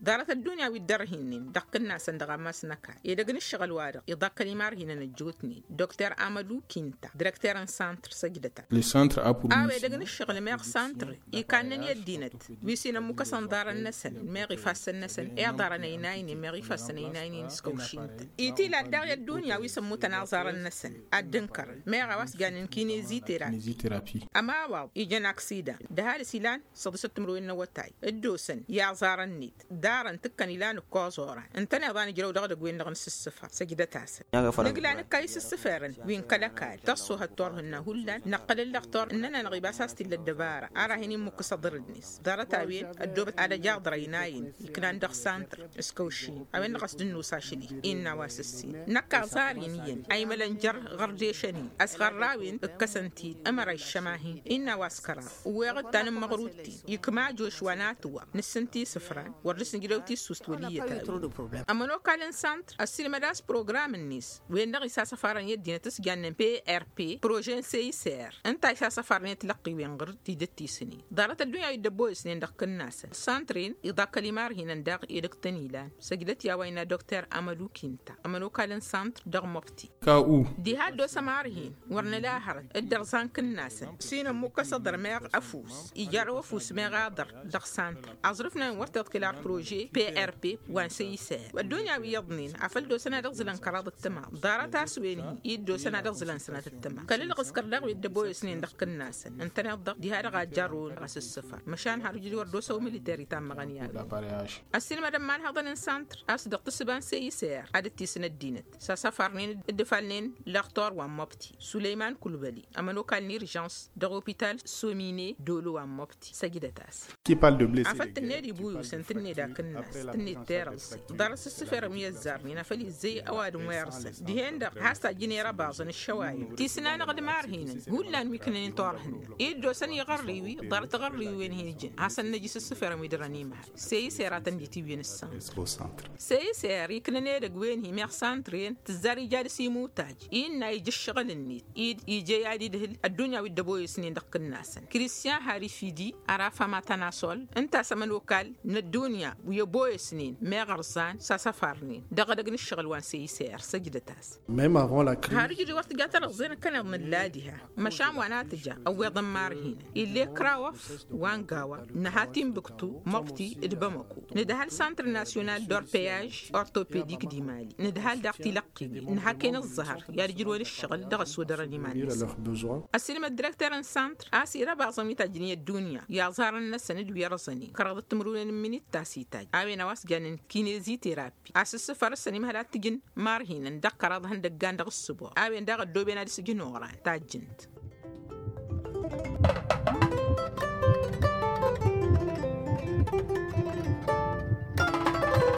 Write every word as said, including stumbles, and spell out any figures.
Ḍarăt ăddunya wi dd-ărhinnen dăɣ-kǝnnasăn dăɣ-ammas n-ăkall edăgg n-ǝššăɣǝl-wa-dăɣ iḍakkăl imarhinăn ăjjootnen. Dokter amălu kinta direkter n-santr săjdăt-as. A-wa edăgg n-ǝššăɣǝl meɣ santr ikannen i-ăddinăt wi s-inămmukăsăn ḍarăn-năsăn meɣ ifassăn-năsăn i-ḍarăn ăynaynen meɣ ifassăn ăynaynen s-kăwšin-tăn. Itila-dd daɣ i-ăddunya wi s-ămmutăn aẓarăn-năsăn ad-dd-ǝnkărăn meɣ a-wa s-jannen kinezi terapi. Ămawaḍ ijăn aksidan d-ăhalǝs ilan săḍisăt timǝrwen n-awătay dd-osăn i-aẓarăn-net. Ḍarăn tǝkkăn ilan ǝkkoẓ oran ǝntăneḍ a nǝjrăw dăɣ-edăgg-wen-dăɣ n-sǝssǝfăr săjdăt-asăn. Nǝgla nǝkka isǝssǝfărăn wi n-kăl-ăkall tăṣṣuhăt turhǝnna hullan năqqǝl ǝllăɣ turhǝnna-nănăɣ ibas a-s t-illa ăddăbara ara hin-immǝkkǝs aḍǝr-net. Ḍarăt-a-wen ăddoobăt ad-ăj aḍrăynayen iknan dăɣ-santr s-kăwšin a-wen-dăɣ a-s dd-nusa ašli. Innă a-wa s-ǝssin năkk aẓar-in iyyăn a imălăn jer-ɣărdešăn-in ăsɣărrawen ǝkkăsăn-t-dd ămăra iššăma-hin. Innă a-wa s-kăraḍ ǝwweɣ-dd ta n-ǝmmăɣrut-tin ikma još wa n-atǝwwa nǝssǝnt isǝfran wăr dăr-s nǝjrăw tissust wăl' iyyăt a-wen. Ămănokal n-santr ăssiilmăd a-s program-net wen-dăɣ isasăfarăn i-ăddinăt s-jannen prp projet n-seyser ǝnta isasăfarăn i-tilăqqiwen ɣur-tidǝt ti s-ǝnnin. Ḍarăt ăddunya wi dd-ăbboyăsnen dăɣ-kǝnnasăn santr-en iḍakkăl imarhinăn daɣ edăgg-tăn ilan. Săjdăt i-a-wa innă dokter amălu kinta ămănokal n-santr dăɣ-măb Diha ăddos ămarhin wăr nǝla hărăt dd-ărẓan kǝnnasăn s-inămmukkăs aḍăr meɣ ăfuss ijarrăw ăfuss meɣ aḍăr. Dăɣ-santr aẓrǝfnen wăr t-iḍkǝl ar projet prp wa n-săy isăyăr ăddunya wi iyyăḍnen afăl dd-osăn ad-ăɣzǝlăn kăraḍ ǝttăma. Ḍarăt a-s wen-hi i-dd-osăn ad-ăɣzǝlăn sănat ǝttăma kăl-ǝlɣǝskăr daɣ wi dd-ăboyăsnen dăɣ-kǝnnasăn ǝntăneḍ-dăɣ diha-dăɣ a ǝjjarrăwăn ɣas ǝssǝfăr. Măšan har ǝjǝd wăr dd-osăw militer itammăɣăn i-a-wen. Ăssiilmădăn imanhăḍăn n-santr a-s dăɣ-tǝssǝba n-săy isăyăr ad-dd-tisǝn ăddinăt sasăfarnen dd-ǝfalnen lăɣtor wa n-măbti sulăyman kulbăli ămănokal n-irjans dăɣ-opital somine dolo wa n-măbti săjdăt-as. Afăl tǝnned ibuyusăn tǝnned akǝnnas tǝnned terăẓẓe. Ḍarăt s-ǝssǝferăm i-ăzzarnen afăl izzăy ăwadǝm wa irẓăn dihen-dăɣ has-tajjǝn i-răbaẓăn ǝššăwayăn tisǝn-anăɣ d-imarhinăn hullan wi ǝknănen turhǝnna i-dd-osăn iɣărriwi. Ḍarăt iɣărriwi-wen-hi ǝjǝn hasăn-năj isǝssǝferăm wi dăr-ănimhal. Seyis eratăn d-itiwyen ǝssan. Seyis er iknăn edăgg-wen-hi meɣ santr-en tǝzzar ija dăr-s imutaj innă ija ǝššăɣǝl-net ija i-ad-idhǝl ăddunya wi dd-ăboyăsnen dăɣ-kǝnnasăn kristyan harifidi. Araf amatănasol ǝnta a-s ămănokal n-ăddunya wi ăboyăsnen meɣ ărẓan s-asăfarnen dăɣ-edăgg n-ǝššăɣǝl wa n-seyis er săjdăt-as. Har ǝjǝd wăr tǝja tărăẓẓe năkkăneḍ nǝlla diha. Măšan wa n-ad-tǝja ăwweḍăn imarhinăn ill'-e kăraw ăff wa n-gawa nǝha timbuktu măɣti d-bamăko nǝdhal santr nasyonal d-orpeyaj ortopedik d-imali nǝdhal daɣ tilăqqiwen nǝha ken ǝẓẓăhăr i-ad-ǝjrǝwăn ǝššăɣǝl dăɣ-ăsodărăn iman-năsăn. Ăssiilmăd direkter n-santr a-s irăbaẓăn wi tajjǝn i-ăddunya i-aẓarăn-năsăn d-wi ărẓănen kăraḍăt timǝrwen n-iminit ta s-itajj a-wen a-wa s-jannen kinezi terapi a-s ǝssǝfăr s-ănimhăl ad-t-ǝjǝn marhinăn dăɣ-kăraḍ ihăndăggan dăɣ-ǝssǝboɣ a-wen daɣ ăddooben ad-s-ǝjǝn oɣran tajjǝnt.